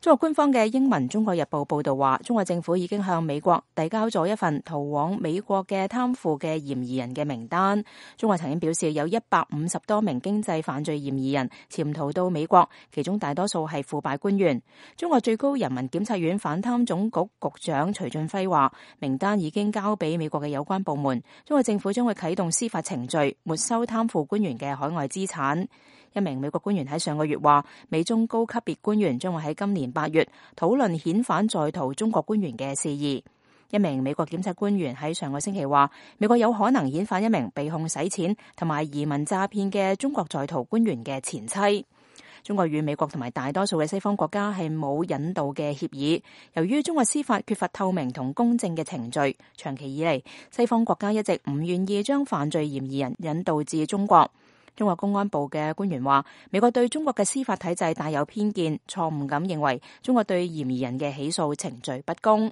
中國官方嘅英文《中國日報》報道話，中國政府已經向美國遞交咗一份逃往美國嘅貪腐嘅嫌疑人嘅名單。中國曾經表示有150多名經濟犯罪嫌疑人潛逃到美國，其中大多數係腐敗官員。中國最高人民檢察院反貪總局局長徐俊輝話，名單已經交俾美國嘅有關部門，中國政府將會啟動司法程序，沒收貪腐官員嘅海外資產。一名美國官員喺上個月話，美中高級別官員將會喺今年8月討論遣返在逃中國官員嘅事宜。一名美國檢察官員喺上個星期話，美國有可能遣返一名被控洗錢同埋移民詐騙嘅中國在逃官員嘅前妻。中國與美國同埋大多數嘅西方國家係冇引渡嘅協議，由於中國司法缺乏透明同公正嘅程序，長期以嚟西方國家一直唔願意將犯罪嫌疑人引渡至中國。中國公安部嘅官員話，美國對中國嘅司法體制帶有偏見，錯誤咁認為中國對嫌疑人嘅起訴程序不公。